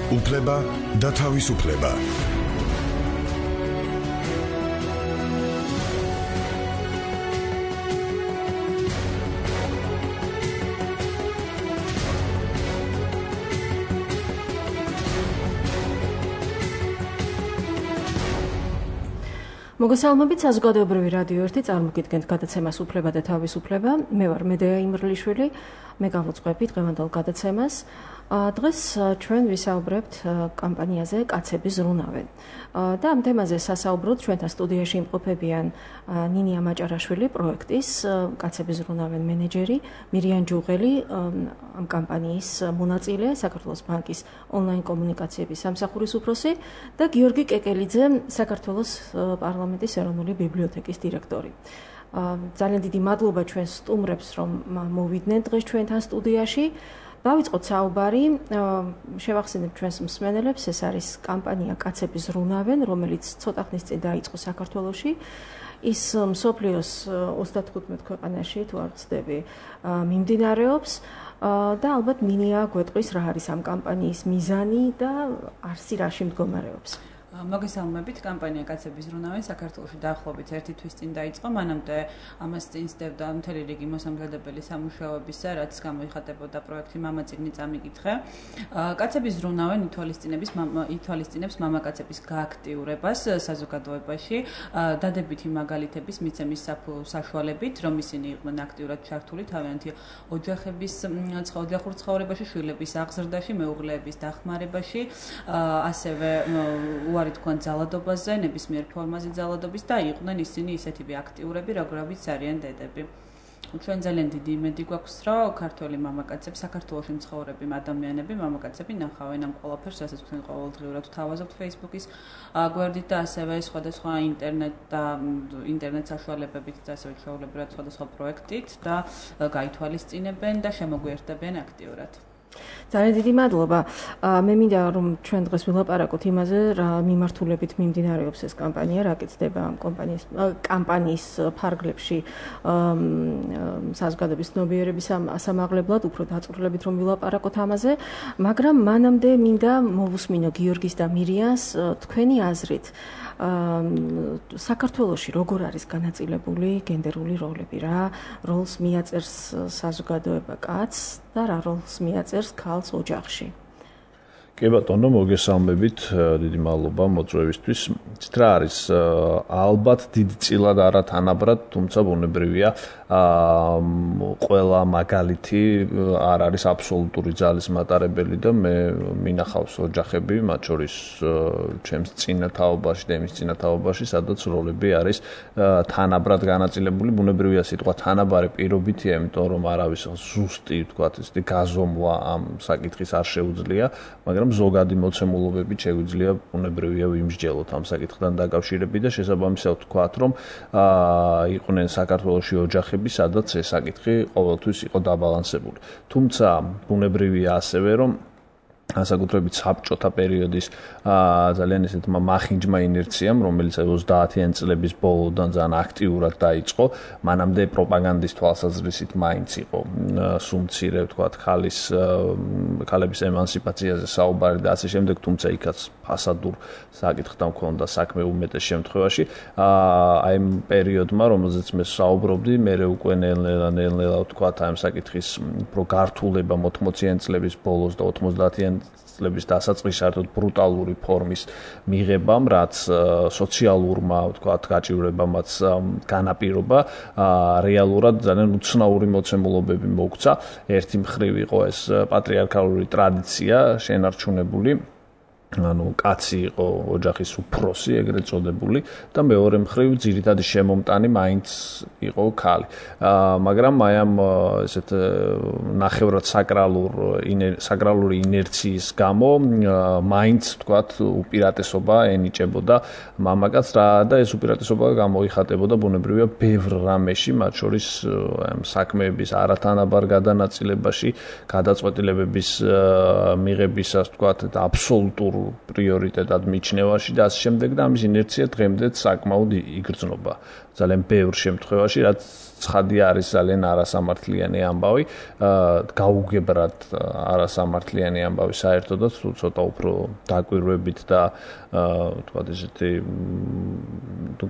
უფლება და თავისუფლება. მოგესალმებით, საზოგადოებრივი რადიო 1 წარმოგიდგენთ გადაცემას უფლება და თავისუფლება. მე ვარ მედეა იმრლიშვილი, მე გავუძღვები დღევანდელ გადაცემას. დღეს ჩვენ ვისაუბრებთ კამპანიაზე კაცები ზრუნავენ. და ამ თემაზე სასაუბროთ ჩვენთან სტუდიაში იმყოფებიან ნინია მაჭარაშვილი, პროექტის კაცები ზრუნავენ მენეჯერი, მირიან ჯუღელი, ამ კამპანიის მონაწილე, საქართველოს ბანკის ონლაინ კომუნიკაციების სამსახურის უფროსი და გიორგი კეკელიძე, საქართველოს პარლამენტის ეროვნული ბიბლიოთეკის დირექტორი. ძალიან დიდი მადლობა ჩვენ სტუმრებს, რომ მოვიდნენ დღეს ჩვენთან სტუდიაში. დავიწყოთ საუბარი, შევახსენებ ჩვენს მსმენელებს, ეს არის კამპანია კაცები ზრუნავენ, რომელიც ცოტა ხნის წინ დაიწყო საქართველოში. ის მსოფლიოს 35 ქვეყანაში, თუ არ ვცდები, მიმდინარეობს და ალბათ ნინია გვეტყვის რა არის ამ კამპანიის მიზანი და არსი რაში მდგომარეობს. მოგესალმებით, კამპანია კაცები ზრუნავენ საქართველოში დაახლოებით 1 თვის წინ დაიწყო, მანამდე ამას წინ სდევდა მთელი რიგი მოსამზადებელი სამუშაოებისა, რაც გამოიხატებოდა პროექტი მამაწიგნი წამიკითხე. კაცები ზრუნავენ ითვალისწინებს მამაკაცების გააქტიურებას საზოგადოებაში, დადებითი მაგალითების მიცემის საშუალებით, რომ ისინი იყვნენ აქტიურად ჩართული თავიანთი ოჯახურ ცხოვრებაში, შვილების აღზრდაში, მეუღლეების დახმარებაში, ასევე უარი თქვენ ძალადობაზე, ნებისმიერ ფორმაზე ძალადობის და იყვნენ ისინი ისეთივე აქტიურები, როგორებიც არიან დედები. ჩვენ ძალიან დიდი იმედი გვაქვს, რომ ქართველი მამაკაცები, საქართველოში მცხოვრები ადამიანები, მამაკაცები ნახავენ ამ ყველაფერს, რასაც თქვენ ყოველდღიურად ვთავაზობთ Facebook-ის გვერდით და ასევე სხვადასხვა ინტერნეტ საშუალებებით და ასევე ჩვეულებრივად სხვადასხვა პროექტით და გაითვალისწინებენ და შემოგვიერთდებიან აქტიურად. ძალიან დიდი მადლობა. მე მინდა რომ ჩვენ დღეს ვილაპარაკოთ იმაზე, რა მიმართულებით მიმდინარეობს ეს კამპანია, რა კეთდება ამ კამპანიის ფარგლებში საზოგადოების ცნობიერების ასამაღლებლად, უფრო დაწვრილებით რომ ვილაპარაკოთ ამაზე, მაგრამ მანამდე მინდა მოვუსმინო გიორგის და მირიანს თქვენი აზრით. საქართველოში როგორ არის განაწილებული გენდერული როლები, რა როლს მიაწერს საზოგადოება კაცს და რა როლს მიაწერს ქალს ოჯახში. კი ბატონო, მოგესალმებით, დიდი მადლობა მოწვევისთვის. რა არის ალბათ დიდწილად არა თანაბრად, თუმცა ბუნებრივია, ყველა მაგალითი არ არის აბსოლუტური ძალის მატარებელი და მე მინახავს ოჯახები, მათ შორის ჩემს წინათაობაში და იმის წინათაობაში, სადაც როლები არის თანაბრად განაწილებული. ბუნებრივია სიტყვა თანაბარი პირობითია, იმიტომ რომ არავის ზუსტი, ვთქვათ, ისეთი გაზომვა ამ საკითხის არ შეუძლია, მაგრამ ზოგადი მოცემულობებით შეგვიძლია ბუნებრივია ვიმსჯელოთ ამ საკითხთან დაკავშირებით და შესაბამისად ვთქვათ, რომ იყვნენ საქართველოში ოჯახები, სადაც ეს საკითხი ყოველთვის იყო დაბალანსებული. თუმცა ბუნებრივია ასევე, რომ განსაკუთრებით საბჭოთა პერიოდის ძალიან ესეთმა მახინჯმა ინერციამ, რომელიც 30-იან წლების ბოლოდან ძალიან აქტიურად დაიწყო, მანამდე პროპაგანდის თვალსაზრისით მაინც იყო სუმცირე, ვთქვათ, ქალების ემანსიპაციაზე საუბარი და ასე შემდეგ, თუმცა იქაც ფასადურ საკითხთან მქონდა საქმე უმეტეს შემთხვევაში. აი ამ პერიოდმა, რომელზეც მე საუბრობდი, მე უკვე ნელ-ნელა ვთქვათ, აი ამ საკითხის უფრო გართულება 80-იან წლების ბოლოს და 90-იან წლების დასაწყისში ბრუტალური ფორმის მიღებამ, რაც სოციალურმა, ვთქვათ, გაჭირვებამაც განაპირობა, რეალურად ძალიან უცნაური მოცემულობები მოგვცა. ერთი მხრივ იყო ეს პატრიარქალური ტრადიცია შენარჩუნებული, კაცი იყო ოჯახის უფროსი, ეგრეთ წოდებული და მეორე მხრივ ძირითადი შემომტანი მაინც იყო ქალი. მაგრამ აი ამ ესეთ ნახევრად საკრალური ინერციის გამო მაინც, ვთქვათ, უპირატესობა ენიჭებოდა მამაკაცს და ეს უპირატესობა გამოიხატებოდა ბუნებრივია ბევრ რამეში, მათ შორის საქმეების არათანაბარ გადანაწილებაში, გადაწყვეტილებების მიღებისას, ვთქვათ, აბსოლუტურ პრიორიტეტად მიჩნევაში და ასე შემდეგ და ამის ინერცია დღემდე საკმაოდ იგრძნობა. ძალიან ბევრ შემთხვევაში, რაც ცხადია არის ძალიან არასამართლიანი ამბავი, გაუგებრად არასამართლიანი ამბავი საერთოდაც, თუ ცოტა უფრო დაკვირვებით და თქვათ ესეთი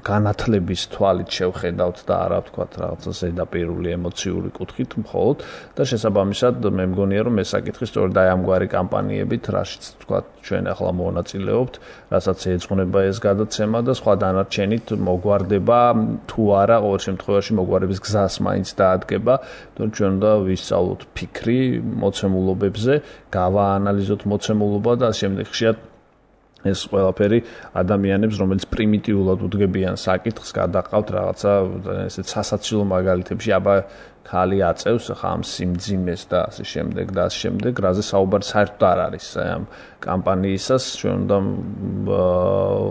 განათლების თვალით შევხედავთ და არა ვთქვათ რაღაცა ზედაპირული ემოციური კუთხით მხოლოდ და შესაბამისად მე მგონია რომ ეს საკითხი სწორედ აი ამგვარი კამპანიებით, რაშიც ვთქვათ ჩვენ ახლა მონაწილეობთ, რასაც ეძღვნება ეს გადაცემა და სხვა დანარჩენით მოგვარდება თუ არა ყოველ შემთხვევაში მოგვარების გზას მაინც დაადგება, თორემ ჩვენ უნდა ვისწავლოთ ფიქრი მოცემულობებზე, გავაანალიზოთ მოცემულობა და შემდეგ ხშირად ეს ყველაფერი ადამიანებს, რომელიც პრიმიტიულად უდგებიან საკითხს, გადაყავთ რაღაცა ესეთ სასაცილო მაგალითებში, აბა ხალი აწევს ხა ამ სიმძიმეს და ასე შემდეგ, რაზე საუბარი საერთოდ არ არის ამ კამპანიისას, ჩვენ უნდა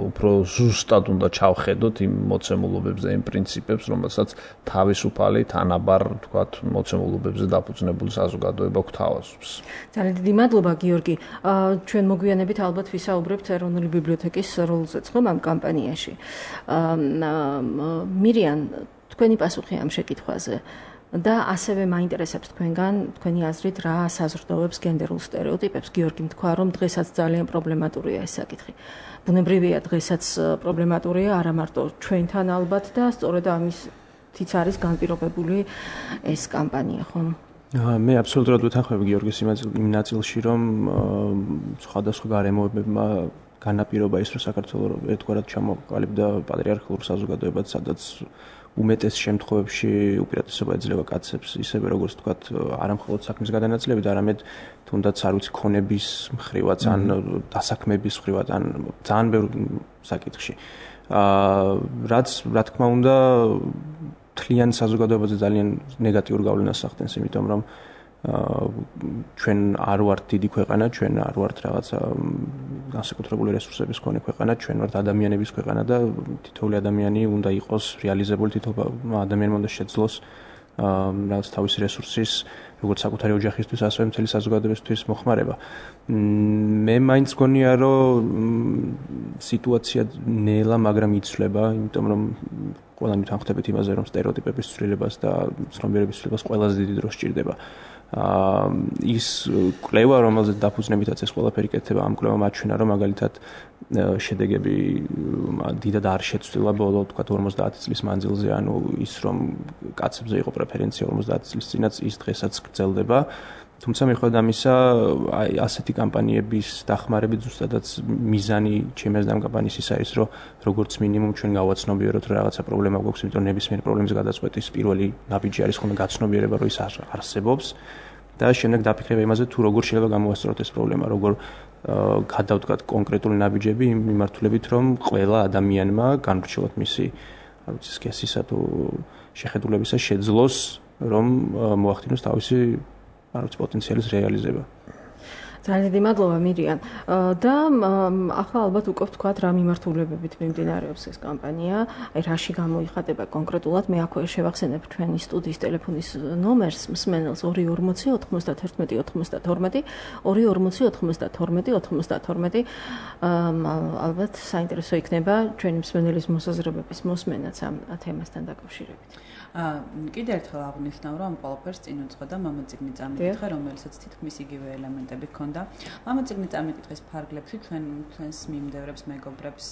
უფრო ზუსტად უნდა ჩავხედოთ იმ მოცემულობებზე, იმ პრინციპებს, რომელსაც თავისუფალი, თანაბარ, თქვათ, მოცემულობებზე დაფუძნებული საზოგადოება გვთავაზობს. ძალიან დიდი მადლობა, გიორგი. ჩვენ მოგვიანებით ალბათ ვისაუბრებთ ეროვნული ბიბლიოთეკის როლზეც ხომ ამ კამპანიაში. მირიან, თქვენი პასუხი ამ შეკითხვაზე. და ასევე მაინტერესებს თქვენი აზრით რა საზრდოობს გენდერულ სტერეოტიპებს. გიორგი თქვა, რომ დღესაც ძალიან პრობლემატურია ეს საკითხი. ბუნებრივია დღესაც პრობლემატურია არა მარტო ჩვენთან ალბათ და სწორედ ამისთიც არის განპირობებული ეს კამპანია, ხომ? მე აბსოლუტურად ვეთანხმები გიორგის იმ ნაწილში, რომ სხვადასხვა გარემოებებმა განაპირობა ის, რომ საქართველოს ერთგვარად ჩამოყალიბდა პატრიარქალურ საზოგადოებად, სადაც უმეტეს შემთხვევებში უპირატესობა ეძლევა კაცებს, ისევე როგორც თქვათ, არა მხოლოდ საქმის გადანაწილებით, არამედ თუნდაც არ ვიცი ქონების მხრივაც ან დასაქმების მხრივაც ან ძალიან ბევრ საკითხში. რაც რა თქმა უნდა მთლიან საზოგადოებაზე ძალიან ნეგატიურ გავლენას ახდენს, იმიტომ რომ ჩვენ არ ვართ დიდი ქვეყანა, ჩვენ არ ვართ რაღაცა განსაკუთრებული რესურსების მქონე ქვეყანა, ჩვენ ვართ ადამიანების ქვეყანა და თითოეული ადამიანი უნდა იყოს რეალიზებული, თითოეული ადამიანი უნდა შეძლოს რაღაც თავისი რესურსის, როგორც საკუთარი ოჯახისთვის, ასევე მთელი საზოგადოებისთვის მოხმარება. მე მაინც მგონია, რომ სიტუაცია ნელა, მაგრამ იცვლება, იმიტომ რომ ყველანი თანხმდებით იმაზე, რომ სტერეოტიპების ცვლილებას და ცნობიერების ცვლილებას ყველაზე დიდი დრო სჭირდება. ის კვლევა, რომელზეც დაფუძნებითაც ეს ყველაფერი კეთდება, ამ კვლევამ აჩვენა, რომ მაგალითად შედეგები დიდად არ შეცვლილა ბოლო, თქვათ 50 წლის მანძილზე, ანუ ის რომ კაცებზე იყო პრეფერენცია 50 წლის წინაც, ის დღესაც გრძელდება. თუმცა მიუხედავად ამისა, ასეთი კამპანიების დახმარებით ზუსტადაც მიზანი ჩემს ამ კამპანიის ის არის, რომ როგორც მინიმუმ ჩვენ გავაცნობიეროთ, რომ რაღაცა პრობლემა გვაქვს, იმიტომ ნებისმიერ პრობლემის გადაწყვეტის პირველი ნაბიჯი არის ხოლმე გაცნობიერება, რომ ის არსებობს და შემდეგ დაფიქრება იმაზე, თუ როგორ შეიძლება გამოვასწოროთ ეს პრობლემა, როგორ გადავდგათ კონკრეტული ნაბიჯები იმ მიმართულებით, რომ ყველა ადამიანმა განვრჩილოთ მისი, არ ვიცი, სქესისა თუ შეხედულებისა შეძლოს, რომ მოახდინოს თავისი პოტენციალის რეალიზება. ძალიან დიდი მადლობა მირიან. და ახლა ალბათ უკვე ვთქვათ რა მიმართულებებით მიმდინარეობს ეს კამპანია, აი რაში გამოიხატება კონკრეტულად. მე აქვე შევახსენებ ჩვენი სტუდიის ტელეფონის ნომერს მსმენელს 240 91 92 240 92 92. ალბათ საინტერესო იქნება ჩვენი მსმენელის მოსაზრებების მოსმენაც ამ თემასთან დაკავშირებით. კიდევ ერთხელ აღნიშნავ, რომ ყველაფერს წინ უძღოდა მამაციგნი წამიკითხა, რომელსაც თითქმის იგივე ელემენტები ჰქონდა. მამაციგნი წამიკითხის ფარგლებში ჩვენს მიმდევრებს, მეგობრებს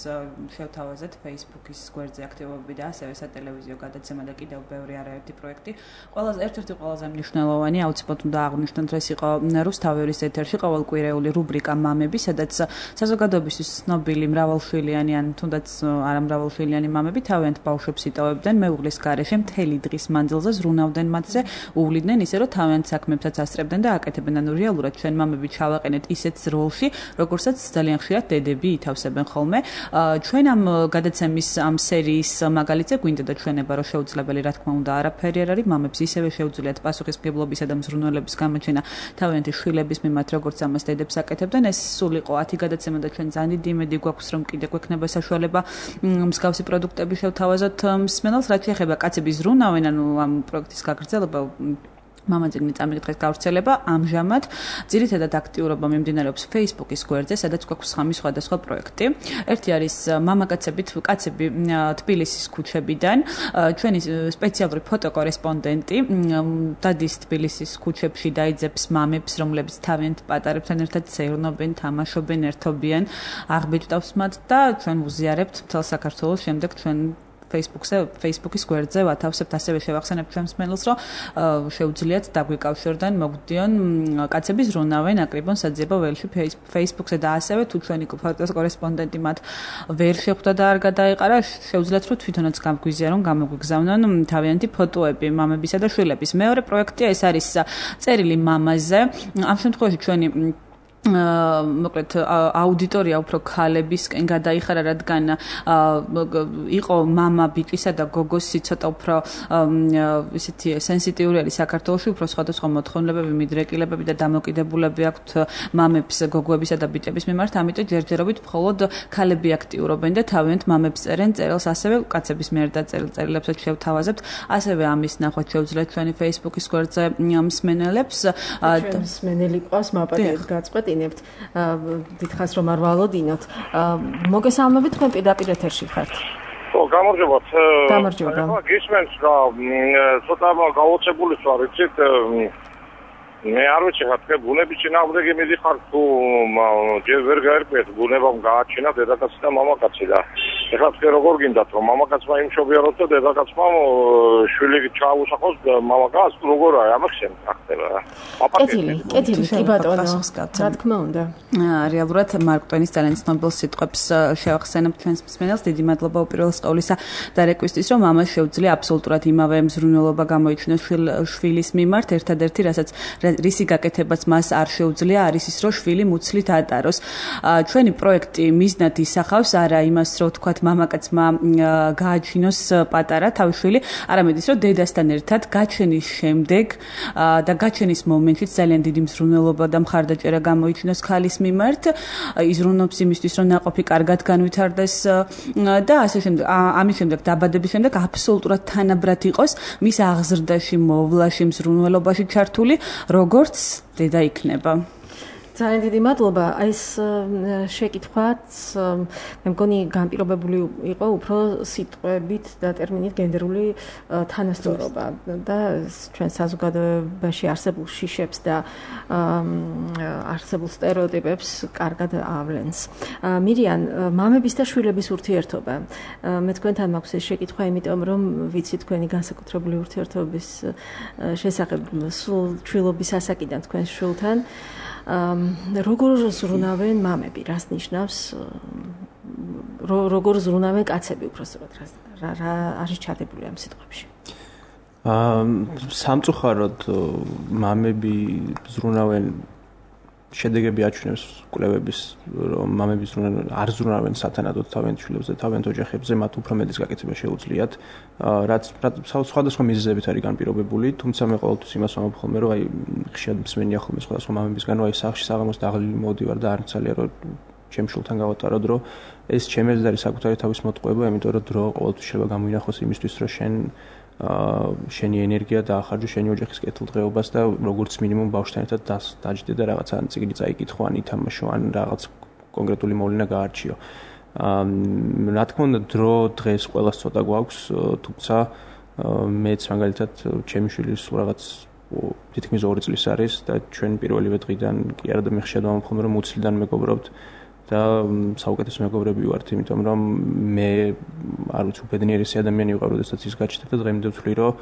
შევთავაზეთ Facebook-ის გვერდზე აქტივობები და ასევე სატელევიზიო გადაცემა და კიდევ ბევრი არაერთი პროექტი. ერთ-ერთი ყველაზე მნიშვნელოვანი, აუცილებლად უნდა აღვნიშნოთ, რომ ეს იყო რუსთაველის ეთერში ყოველკვირეული რუბრიკა მამები, სადაც საზოგადოებისთვის ცნობილი მრავალშვილიანი ან თუნდაც არამრავალშვილიანი მამები თავიანთ ბავშვებს იტოვებდნენ მეუღლის გარეშე მთელი დღის მანძილზე ზრუნავდნენ მათზე, უვლიდნენ ისე, რომ თავიანთ საქმეებსაც ასწრებდნენ და აკეთებდნენ. ანუ რეალურად ჩვენ მამები ჩავაყენეთ ისეთ როლში, როგორცაც ძალიან ხშირად დედები ითავსებენ ხოლმე. ჩვენ ამ გადაცემის ამ სერიის მაგალითზე გვინდა და ჩვენება, რომ შეუძლებელი, რა თქმა უნდა, არაფერი არ არის, მამებს ისევე შეუძლიათ პასუხისმგებლობისა და მზრუნველების გამოჩენა თავიანთი შვილების მიმართ, როგორც ამას დედებს აკეთებდნენ. ეს სულ იყო 10 გადაცემა და ჩვენ ძალიან დიდი იმედი გვაქვს, რომ კიდევ გვექნება საშუალება მსგავსი პროდუქტები შევთავაზოთ მსმენელს, რაც შეეხება კაცების ზრუნავენ, ანუ ამ პროექტის გაგრძელება მამაძიგნი წამიკითხვის გავრცელება ამჟამად ძირითადად აქტიურობა მიმდინარეობს Facebook-ის გვერდზე, სადაც გვაქვს სხვადასხვა პროექტი. ერთი არის მამაკაცები თბილისის ქუჩებიდან, ჩვენი სპეციალური ფოტოკორესპონდენტი დადის თბილისის ქუჩებში და იძებს მამებს, რომლებიც თავიანთ პატარებთან ერთად ცეირნობენ, თამაშობენ, ერთობიან, აღბეჭდავს მათ და ჩვენ ვუზიარებთ მთელ საქართველოს, შემდეგ ჩვენ Facebook-ის გვერდზე ვათავსებთ, ასევე შევახსენებთ ჩვენს მსმენელს, რომ შეუძლიათ დაგვიკავშირდნენ, მოგვდიონ კაცები ზრუნავენ აკრიბონ საძიებო ველში Facebook-ზე და ასევე თუ ჩვენი კორესპონდენტი მათ ვერ შეხვდა და არ გადაეყარა, შეუძლიათ რომ თვითონაც გამგვიზიარონ, გამოგვიგზავნონ თავიანთი ფოტოები მამებისა და შვილების. მეორე პროექტია ეს არის წერილი მამაზე. ამ შემთხვევაში ჩვენი მოკლედ აუდიტორია უფრო ქალებისკენ გადაიხარა, რადგან იყო მამა ბიჭისა და გოგოსი ცოტა უფრო ისეთი სენსიტიური არის საქართველოში, უფრო სხვადასხვა მოთხოვნილებები, მიდრეკილებები და დამოკიდებულები აქვთ მამებს, გოგოებისა და ბიჭების მიმართ, ამიტომ ჯერჯერობით მხოლოდ ქალები აქტიურობენ და თავიანთ მამებს წერენ წერილს, ასევე კაცების მიერ დაწერილ წერილებსაც შევთავაზებთ, ასევე ამის ნახვაც შეუძლიათ ჩვენი Facebook-ის გვერდზე მსმენელებს. მსმენელი ყავს მაპატიეთ გაწყვეტ დიდხანს რომ არ ვალოდინოთ. მოგესალმებით, თქვენ პირდაპირ ეთერში ხართ. ხო, გამარჯობათ. გამარჯობა. გისმენთ რა, ცოტა გაოცებული ვარ, იცით, მე არ ვიცი რა თქვენ ბუნების წინააღმდეგი მიდიხარ თუ ჯერ ვერ გაერკვიეთ ბუნებამ გააჩინა დედაკაცი და მამაკაცი და ეხლა თქვენ როგორ გინდათ რომ მამაკაცმა იმშობიაროთ და დედაკაცმა შვილი ჩააუსახოს მამაკაცს როგორ არის ამახსენ ხდება რა. კეთილი, კი ბატონო, რა თქმა უნდა. რეალურად მარკ ტვენის ძალიან ცნობილ სიტყვებს შევახსენებთ ჩვენს მსმენელს. დიდი მადლობა უპირველეს ყოვლისა და რეკვესტის, რომ მამას შეუძლია აბსოლუტურად იმავე მზრუნველობა გამოიჩინოს შვილის მიმართ, ერთადერთი რასაც რისი გაკეთებაც მას არ შეუძლია არის ის, რომ შვილი მუცლით ატაროს. ჩვენი პროექტი მიზნად ისახავს არა იმას, რომ თქვათ მამაკაცმა გააჩინოს პატარა თავის შვილი, არამედ ის, რომ დედასთან ერთად გაჩენის შემდეგ და გაჩენის მომენტში ძალიან დიდი მზრუნველობა და მხარდაჭერა გამოიჩინოს ხალის მიმართ, იზრუნოს იმისთვის, რომ ნაყოფი კარგად განვითარდეს და ასე შემდეგ. ამის შემდეგ დაბადების შემდეგ აბსოლუტურად თანაბრად იყოს მის აღზრდაში, მოვლაში, მზრუნველობაში ჩართული, როგორც დედა იქნება. ძალიან დიდი მადლობა. აი ეს შეკითხვაც მე მგონი განპირობებული იყო უფრო სიტყვებით და ტერმინით გენდერული თანასწორობა და ჩვენ საზოგადოებაში არსებულ შიშებს და არსებულ სტერეოტიპებს კარგად ავლენს. მირიან, მამების და შვილების ურთიერთობა. მე თქვენთან მაქვს ეს შეკითხვა, იმიტომ რომ ვიცი თქვენი განსაკუთრებული ურთიერთობის შესახებ სულ ჩვილობის ასაკიდან თქვენს შვილთან. როგორ ზრუნავენ მამები, რას ნიშნავს როგორ ზრუნავენ კაცები უბრალოდ რა არის ჩადებული ამ სიტყვებში? სამწუხაროდ მამები ზრუნავენ, შედეგები აჩვენებს კვლევების, რომ მამები არ ზრუნავენ სათანადოდ თავიანთ შვილებზე, თავიანთ ოჯახებზე, მათ უფრო მეტის გაკეთება შეუძლიათ, რაც სხვადასხვა მიზეზებით არის განპირობებული, თუმცა მე ყოველთვის იმას ვამბობ ხოლმე, რომ აი ხშირად მსმენია ხოლმე სხვადასხვა მამებისგან, რომ აი სახლში საღამოს დაღლილი მოვდივარ და არ მცალია რომ ჩემ შვილთან გავატარო დრო, ეს ჩემი არის საკუთარი თავის მოტყუება, იმიტომ რომ დრო ყოველთვის შეიძლება გამოინახოს იმისთვის, რომ შენი ენერგია დაახარჯო შენი ოჯახის კეთილდღეობას და როგორც მინიმუმ ბავშვთან ერთად დაჯდე და რაღაცა წიგნი წაიკითხო ან ითამაშო ან რაღაც კონკრეტული მოვლენა გაარჩიო. რა თქმა უნდა დრო დღეს ყველას ცოტა გვაქვს, თუმცა მეც მაგალითად ჩემი შვილი რაღაც თითქმის 2 წლის არის და ჩვენ პირველივე დღიდან კი არა და მე ხშირად ვამბობ ხოლმე რომ მუცლიდან მეგობრობთ და საუკეთესო მეგობრები ვართ, იმიტომ რომ მე არ ვიცი უბედნიერესი ადამიანი ვიყავ, როდესაც ის გაჩნდა და დღემდე ვთვლი, რომ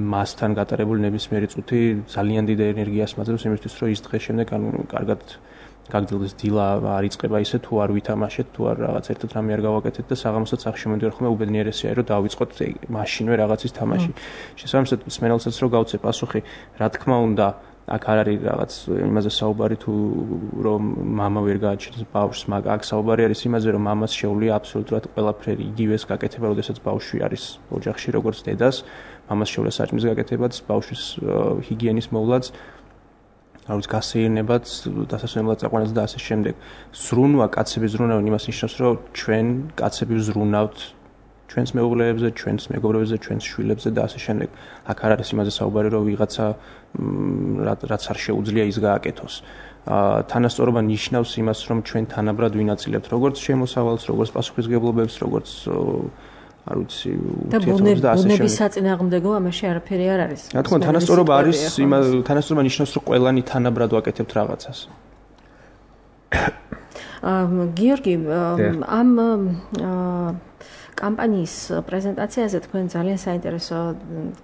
მასთან გატარებული ნებისმიერი წუთი ძალიან დიდ ენერგიას მაძლევს იმისთვის, რომ ის დღეს შემდეგ კარგად გაგრძელდეს დილა არ იწყება ისე თუ არ ვითამაშეთ, თუ არ რაღაც ერთად რამე არ გავაკეთეთ და საღამოსაც სახში მოვიდივარ ხოლმე უბედნიერესია, რომ დავიწყოთ მაშინვე რაღაცის თამაში. შესაბამისად მსმენელსაც რო გავცე პასუხი, რა თქმა უნდა აქ არ არის რაღაც იმაზე საუბარი თუ რომ მამა ვერ გააჩნდეს ბავშვს, მაგრამ აქ საუბარი არის იმაზე, რომ მამას შეუძლია აბსოლუტურად ყველაფერი იგივეს გაკეთება, როდესაც ბავშვი არის ოჯახში, როგორც დედას, მამას შეუძლია საჭმლის გაკეთებაც, ბავშვის ჰიგიენის მოვლაც, არის გასეირნებაც, დასასვენებლად წაყვანაც და ასე შემდეგ. ზრუნვა, კაცები ზრუნავენ იმას ნიშნავს, რომ ჩვენ კაცები ვზრუნავთ ჩვენს მეუღლეებზე, ჩვენს მეგობრებზე, ჩვენს შვილებზე და ასე შემდეგ. აქ არ არის იმაზე საუბარი, რომ ვიღაცა რაც არ შეუძლია ის გააკეთოს. თანასწორობა ნიშნავს იმას, რომ ჩვენ თანაბრად ვინაწილებთ როგორც შემოსავალს, როგორც პასუხისმგებლობებს, როგორც არ ვიცი, ურთიერთობებს და ასე შემდეგ. ბუნების საწინააღმდეგო ამაში არაფერი არ არის. რა თქმა უნდა, თანასწორობა არის, თანასწორობა ნიშნავს, რომ ყველანი თანაბრად ვაკეთებთ რაღაცას. გიორგი, ამ კამპანიის პრეზენტაციაზე თქვენ ძალიან საინტერესო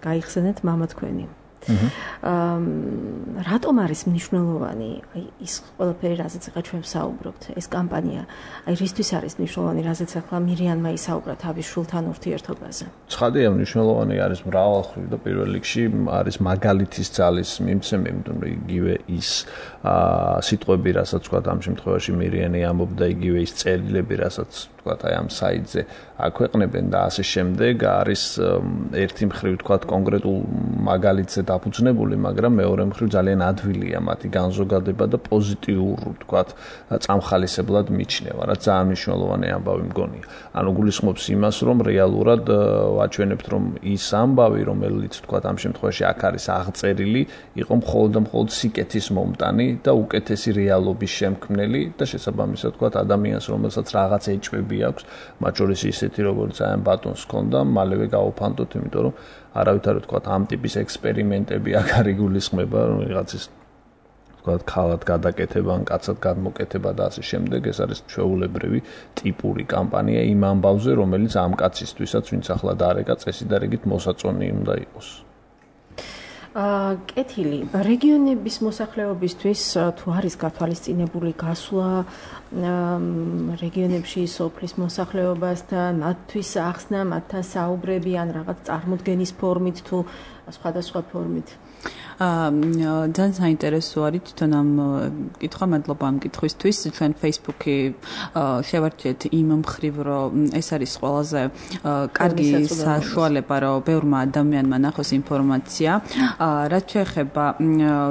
გაიხსენეთ მამა თქვენი. რატომ არის მნიშვნელოვანი ის ყველაფერი, რაზეც ახლა ჩვენ ვსაუბრობთ, ეს კამპანია? რისთვის არის მნიშვნელოვანი, რაზეც ახლა მირიანმა ისაუბრა თავის შვილთან ურთიერთობაზე? ცხადია, მნიშვნელოვანი არის მრავალმხრივ და პირველ რიგში არის მაგალითის ძალის მიმცემი, იმიტომ რომ იგივე ის სიტყვები, რასაც თქვა ამ შემთხვევაში მირიანი ამბობდა, იგივე ის წერილები, რასაც თქვა აი ამ საიტზე აქვეყნებენ და ასე შემდეგ, არის ერთი მხრივ თქვა კონკრეტულ მაგალითზე დაფუძნებული, მაგრამ მეორე მხრივ ძალიან ადვილია მათი განზოგადება და პოზიტიურ თქვა წამხალისებლად მიჩნევა, რაც ძალიან მნიშვნელოვანი ამბავი მგონია. ანუ გულისხმობს იმას, რომ რეალურად ვაჩვენებთ, რომ ის ამბავი, რომელიც თქვა ამ შემთხვევაში აქ არის აღწერილი, იყო მხოლოდ და მხოლოდ სიკეთის მომტანი და უკეთესი რეალობის შემქმნელი და შესაბამისად თქვა ადამიანს, რომელსაც რაღაც ეჭვები აქვს, მათ შორის ისეთი როგორც აი ამ ბატონს ჰქონდა, მალევე გაუფანტოთ, იმიტომ რომ არავითარი თქვა ამ ტიპის ექსპერიმენტები აქ არ იგულისხმება, რომ ვიღაცის თქვა ქალად გადაკეთება, ან კაცად გადმოკეთება და ასე შემდეგ, ეს არის ჩვეულებრივი ტიპური კამპანია იმ ამბავზე, რომელიც ამ კაცისთვისაც, ვინც ახლა დაარეკა წესი და რიგით მოსაწონი უნდა იყოს. კეთილი, რეგიონების მოსახლეობისთვის თუ არის გათვალისწინებული გასვლა რეგიონებში სოფლის მოსახლეობასთან, მათთვის ახსნა, მათთან საუბრები ან რაღაც წარმოდგენის ფორმით თუ სხვადასხვა ფორმით? ძალიან საინტერესო არის თვითონ ამ კითხვა, მადლობა ამ კითხვისთვის. ჩვენ Facebook-ი შევარჩიეთ იმ მხრივ, რომ ეს არის ყველაზე კარგი საშუალება, რომ ბევრმა ადამიანმა ნახოს ინფორმაცია. რაც შეეხება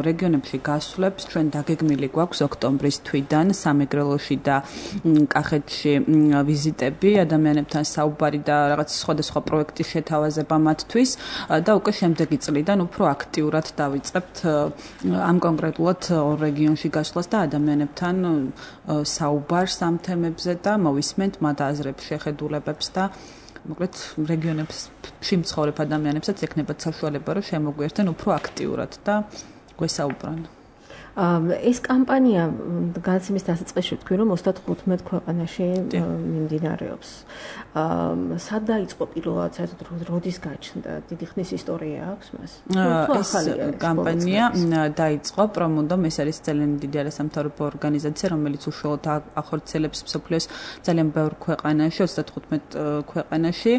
რეგიონებში გასვლებს, ჩვენ დაგეგმილი გვაქვს ოქტომბრის თვიდან სამეგრელოში და კახეთში ვიზიტები, ადამიანებთან საუბარი და რაღაც სხვადასხვა პროექტის შეთავაზება მათთვის და უკვე შემდეგი წლიდან უფრო აქტიურად დავიწყებთ ამ კონკრეტულად ორ რეგიონში გასვლას და ადამიანებთან საუბარს ამ თემებზე და მოვისმენთ მათ აზრებს, შეხედულებებს და მოკლედ რეგიონებში მცხოვრებ ადამიანებსაც ექნებათ საშუალება, რომ შემოგვიერთდნენ უფრო აქტიურად და გვესაუბრონ. ეს კამპანია განაცემის დასაწყისში თქვი, რომ 35 ქვეყანაში მიმდინარეობს. სად დაიწყო პირველად, საერთოდ როდის გაჩნდა? დიდი ხნის ისტორია აქვს მას? ეს კამპანია დაიწყო პრომოდომ, ეს არის ძალიან დიდი არასამთავრობო ორგანიზაცია, რომელიც უშუალოდ ახორციელებს მსოფლიოს ძალიან ბევრ ქვეყანაში, 35 ქვეყანაში.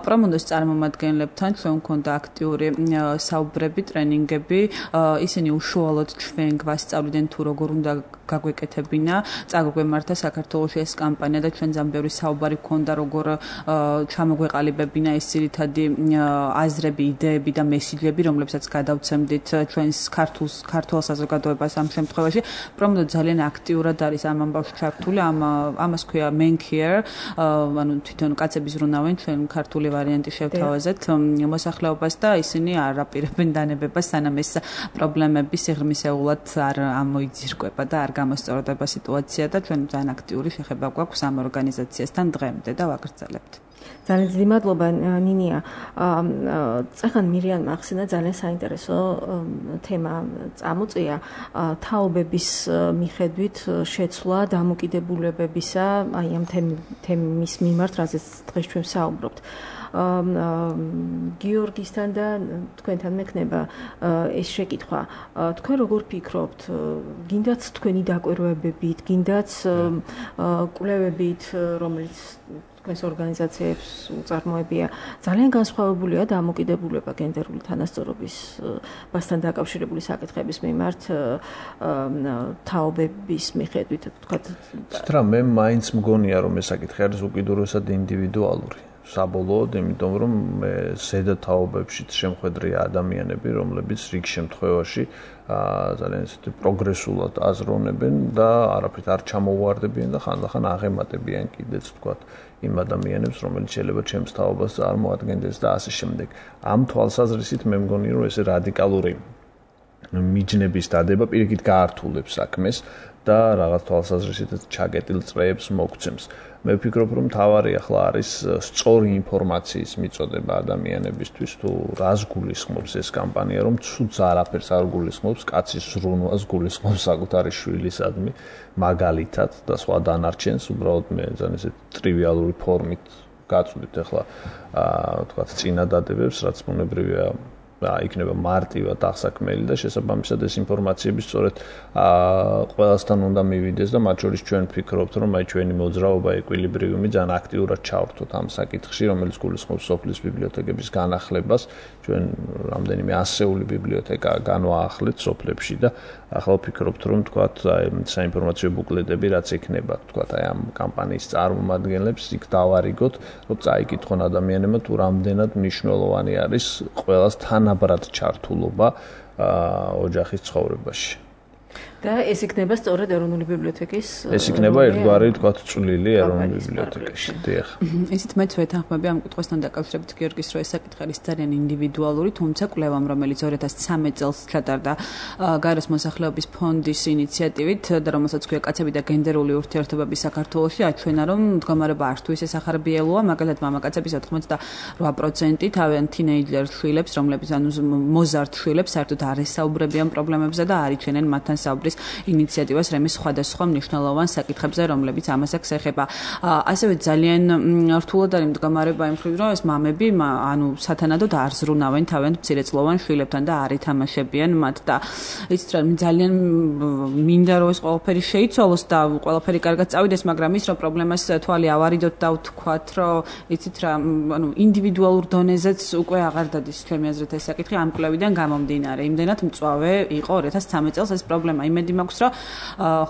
პრომოდოს წარმომადგენლებთან ჩვენ გვქონდა აქტიური საუბრები, ტრენინგები, ისინი უშუალოდ ჩვენ გვასწავლდნენ თუ როგორ უნდა გაგვეკეთებინა, წაგვემართა საქართველოში ეს კამპანია და ჩვენ ძალიან ბევრი საუბარი გვქონდა, როგორ ჩამოგვეყალიბებინა ეს ძირითადი აზრები, იდეები და მესიჯები, რომლებსაც გადავცემდით ჩვენს ქართულ საზოგადოებას ამ შემთხვევაში. პრომოდო ძალიან აქტიურად არის ამ ამბავში ჩართული, ამას ქვია men care, ანუ თვითონ კაცები ზრუნავენ, ჩვენ ქართული ვარიანტი შევთავაზეთ მოსახლეობას და ისინი არ აპირებენ დანებებას, სანამ ეს პრობლემები სიღრმისეულად არ ამოიძირკვება და არ გამოსწორდება სიტუაცია და ჩვენ ძალიან აქტიური შეხება გვაქვს ამ ორგანიზაციასთან დღემდე და ვაგრძელებთ. ძალიან დიდი მადლობა ნინია. წახან მირიანმა ახსენა ძალიან საინტერესო თემა წამოწია თაობების მიხედვით შეცვლა დამოკიდებულებებისა, აი ამ თემის მიმართ, რაზეც დღეს ჩვენ საუბრობთ. გიორგისთან და თქვენთან მექნება ეს შეკითხვა. თქვენ როგორ ფიქრობთ, გინდათ თქვენი დაკვირვებებით, გინდათ კვლევებით, რომელიც ეს ორგანიზაციებს უწარმოებია, ძალიან განსხვავებულია დამოკიდებულება გენდერული თანასწორობასთან დაკავშირებული საკითხების მიმართ თაობების მიხედვით, თქვათ. რა, მე მაინც მგონია, რომ ეს საკითხი არის უკიდურესად ინდივიდუალური. საბოლოოდ, იმიტომ რომ მე ზედა თაობებშიც შემხედრია ადამიანები, რომლებიც რიგ შემთხვევაში ძალიან ისეთი პროგრესულად აზროვნებენ და არაფრით არ ჩამოუვარდებიან და ხანდახან აღემატებიან კიდეც ვთქვათ იმ ადამიანებს, რომელიც შეიძლება ჩემს თაობას წარმოადგენდეს და ასე შემდეგ. ამ თვალსაზრისით მე მგონი რომ ეს რადიკალური მიჯნების დადება პირიქით გაართულებს საქმეს და რაღაც თვალსაზრისით ჩაკეტილ წრეებს მოგცემს. მე ვფიქრობ, რომ თავარი ახლა არის სწორი ინფორმაციის მიწოდება ადამიანებისთვის, თუ რას გულისხმობს ეს კამპანია, რომ ცუდს არაფერს არ გულისხმობს, კაცის ზრუნვას გულისხმობს საკუთარი შვილისადმი, მაგალითად და სხვა დანარჩენს, უბრალოდ მე ძალიან ისეთ ტრივიალური ფორმით გაწვდით ახლა თქვათ წინადადებებს, რაც ბუნებრივია იქნება მარტივად აღსაქმელი და შესაბამისად ეს ინფორმაციები სწორედ ყველასთან უნდა მივიდეს და მათ შორის ჩვენ ვფიქრობთ, რომ აი ჩვენი მოძრაობა ეკვილიბრიუმი ძალიან აქტიურად ჩავერთოთ ამ საკითხში, რომელიც გულისხმობს სოფლის ბიბლიოთეკების განახლებას. ჩვენ რამდენიმე ასეული ბიბლიოთეკა განვაახლეთ სოფლებში და ახლა ვფიქრობთ, რომ თქვათ აი საინფორმაციო ბუკლეტები რაც ექნება, თქვათ აი ამ კამპანიის წარმომადგენლებს იქ დავარიგოთ, რომ წაიკითხონ ადამიანებმა თუ რამდენად მნიშვნელოვანი არის ყველას თანაბრად ჩართულობა ოჯახის ცხოვრებაში. და ეს იქნება სწორედ ეროვნული ბიბლიოთეკის ეს იქნება ერთგვარი თქვათ წვლილი ეროვნული ბიბლიოთეკაში. დიახ. ისიც მეც ვეთანხმები ამ კითხვასთან დაკავშირებით გიორგის, რომ ეს საკითხი არის ძალიან ინდივიდუალური, თუმცა კვლევამ, რომელიც 2013 წელს ჩატარდა გარეს მოსახლეობის ფონდის ინიციატივით და რომელსაც ქვია კაცები და გენდერული ურთიერთობები საქართველოში, აჩვენა, რომ მდგომარეობა არც თუ ისე სახარბიელოა, მაგალითად მამაკაცების 88% თავიანთ თინეიჯერ შვილებს, რომლებიც ანუ მოზარდ შვილებს საერთოდ არ ესაუბრებიან პრობლემებზე და არ იჩენენ მათთან საუბრის ინიციატივას რემის სხვადასხვა მნიშვნელოვან საკითხებზე, რომლებიც ამას აქვს ეხება. ასევე ძალიან რთულად არის მდგომარეობა იმ მხრივ, რომ ეს მამები ანუ სათანადოდ არ ზრუნავენ თავიანთ მცირეწლოვან შვილებთან და არ ითამაშებიან მათ და იცით რა ძალიან მინდა რომ ეს ყველაფერი შეიცვალოს და ყველაფერი კარგად წავიდეს, მაგრამ ის რომ პრობლემას თვალი ავარიდოთ და ვთქვათ, რომ იცით რა ანუ ინდივიდუალურ დონეზეც უკვე აღარ დადის ჩემი აზრით ეს საკითხი ამ კვლევიდან გამომდინარე. იმდენად მწვავე იყო 2013 წელს ეს პრობლემა. იმედი მაქვს, რომ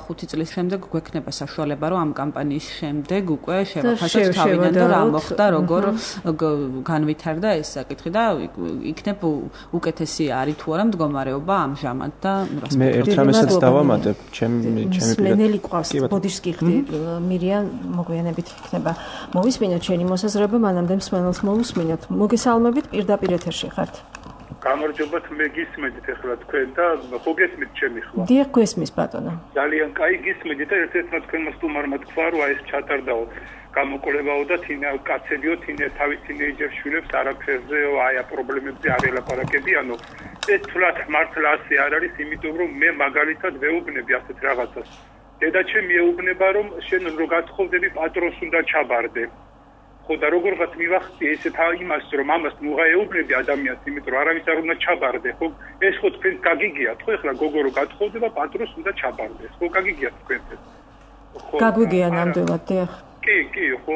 5 წლის შემდეგ გვექნება საშუალება, რომ ამ კამპანიის შემდეგ უკვე შევაფასოთ თავიდან და რა მოხდა, როგორ განვითარდა ეს საკითხი და იქნებ უკეთესი არის თუ არა მდგომარეობა ამჟამად და მე ერთ რამესაც დავამატებ, ჩემი მენელი ყავს ბოდიშს გიხდი მირიან მოგვიანებით იქნება. მოვისმინოთ შენი მოსაზრება, მანამდე მსმენელს მოვუსმინოთ. მოგესალმებით, პირდაპირ ეთერში ხართ. გამარჯობათ, მე გისმენთ ახლა თქვენ და ხო გესმით ჩემი ხმა? დიახ, გესმის ბატონო. ძალიან კაი გისმენთ და ერთ-ერთმა თქვენმა სტუმარმა თქვა, რომ აი ეს ჩატარდაო გამოკვლევაო და კაცებიო თავის თინეიჯერ შვილებს არაფერზე აი ამ პრობლემებზე არ ელაპარაკებიანო. ეს თვლად მართლა ასე არ არის, იმიტომ რომ მე მაგალითად ვეუბნები ასეთ რაღაცას. დედაჩემი ეუბნება, რომ შენ რო გათხოვდები პატრონს უნდა ჩაბარდე. ხო და როგორღაც მივახცე ესეთ იმას, რომ ამას მუღაეუბნები ადამიანს, იმიტომ რომ არავის არ უნდა ჩაბარდე, ხო? ეს ხო თქვენ გაგიგიათ, ხო? ეხლა გოგო რო გათხოვდება, პატრონს უნდა ჩაბარდეს, ხო? გაგიგიათ თქვენ ეს. ხო. გაგვიგია ნამდვილად, დიახ. კი, ხო,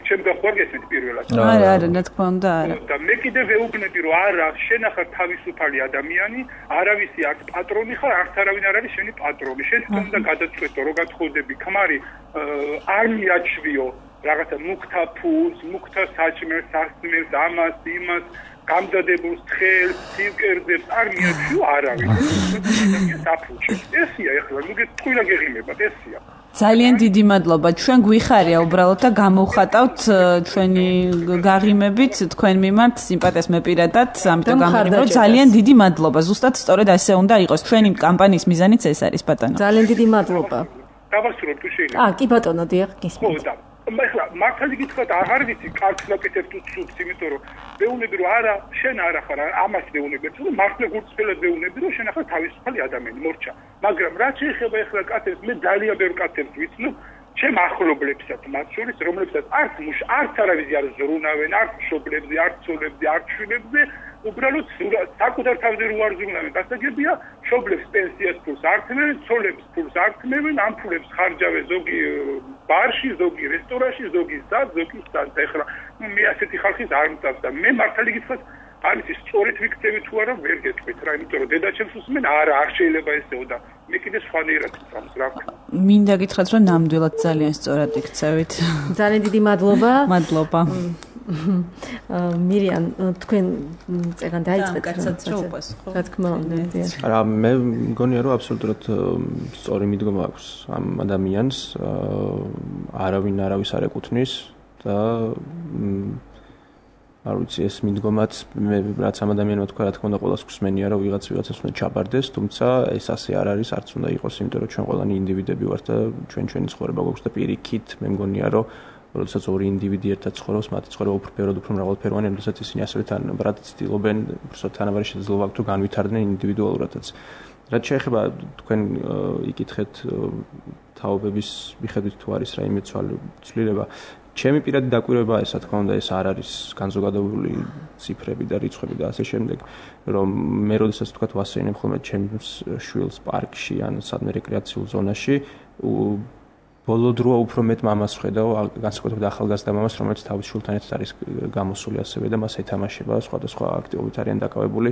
ჩემ გახვარგესით პირველად. არა, რა თქმა უნდა, არა. და მე კიდე ვეუბნები, რომ არა, შენ ახლა თავისუფალი ადამიანი, არავისი არც პატრონი ხარ, არც არავინ არ არის შენი პატრონი. შენ თვითონ უნდა გადაწყვეტო, რო გათხოვდები, ქმარი არ მიაჩვიო რაღაცა მუქთა ფულს, მუქთა საჭმელს, სასმელს, ამას, იმას, გამზადებულს, თხელს, სივკერძებს არ მიაჩვიო არავინ. ესია ეხლა, ნუ თქვენ გეღიმებათ, ესია. ძალიან დიდი მადლობა. ჩვენ გვიხარია უბრალოდ და გამოვხატავთ ჩვენი გაღიმებით თქვენ მიმართ სიმპათიას მეპირადად, ამიტომ გამიგებთ. ძალიან დიდი მადლობა. ზუსტად სწორედ ასე უნდა იყოს. ჩვენი კამპანიის მიზანიც ეს არის, ბატონო. ძალიან დიდი მადლობა. დავასრულებ თუ შეიძლება. კი ბატონო, დიახ, გისმენთ. ხო და ეხლა მართალი გითხრათ აღარ ვიცი კარგს ვაკეთებ თუ ცუდს, იმიტომ რომ ვეუბნები რომ არა, შენ არა ხარ, ამას ვეუბნები, რომ მართლა გულწრფელად ვეუბნები რომ შენ ახლა თავისუფალი ადამიანი მორჩა. მაგრამ რაც შეეხება ეხლა კაცებს, მე ძალიან ბევრ კაცებს ვიცნობ, ჩემ ახლობლებსაც, მათ შორის რომლებსაც არც არავისი არ ზრუნავენ, არც მშობლებზე, არც ცოლებზე, არც შვილებზე, უბრალოდ საკუთარ თავზე რო არ ზრუნავენ, გასაგებია, მშობლებს პენსიას ფულს არ თმევენ, ცოლებს ფულს არ თმევენ, ამ ფულებს ხარჯავენ ზოგი ბარში, ზოგი რესტორანში, ზოგი სად, ზოგი სად. ეხლა მე ასეთი ხალხის არ მწავს და მე მართალი გითხრათ, არის სწორედ ვიქცევი თუ არა ვერ გეტყვით რა, იმიტომ რომ დედაჩემს უსმენ, არა, არ შეიძლება ესეო და მე კიდე სხვანაირად მწავს რა. მინდა გითხრათ, რომ ნამდვილად ძალიან სწორად იქცევით. ძალიან დიდი მადლობა. მადლობა. მირიან, თქვენ წერან დაიწყეთ კაცად შეუპასუხო. რა თქმა უნდა. არა, მე მგონია რომ აბსოლუტურად სწორი მიდგომა აქვს ამ ადამიანს, არავინ არავის არ ეკუთვნის და არ ვიცი ეს მიდგომაც მე რაც ამ ადამიანმა თქვა, რა თქმა უნდა ყოველას გვსმენია რომ ვიღაცას უნდა ჩაბარდეს, თუმცა ეს ასე არ არის, არც უნდა იყოს, იმიტომ რომ ჩვენ ყველანი ინდივიდები ვართ და ჩვენი ცხოვრება გვაქვს და პირიქით მე მგონია რომ როდესაც ორი ინდივიდი ერთად ცხოვრობს, მათი ცხოვრება უფრო ბევრად უფრო მრავალფეროვანია, როდესაც ისინი ასევე თანაბრად ცდილობენ, უბრალოდ თანაბარი შესაძლებლობა აქვს, რომ განვითარდნენ ინდივიდუალურადაც. რაც შეეხება თქვენ იკითხეთ თაობების მიხედვით თუ არის რაიმე ცვლილება, ჩემი პირადი დაკვირვება ესა თქმა უნდა ეს არ არის განზოგადებული ციფრები და რიცხვები და ასე შემდეგ, რომ მე როდესაც თქვა ვასეინებ ხოლმე ჩემს შვილს პარკში ან სადმე რეკრეაციულ ზონაში ბოლო დროა უფრო მეტ მამას ვხედავ, განსაკუთრებით ახალგაზრდა მამას, რომელიც თავის შვილთან ერთად არის გამოსული ასევე და მას ეთამაშება, სხვადასხვა აქტივობით არიან დაკავებული,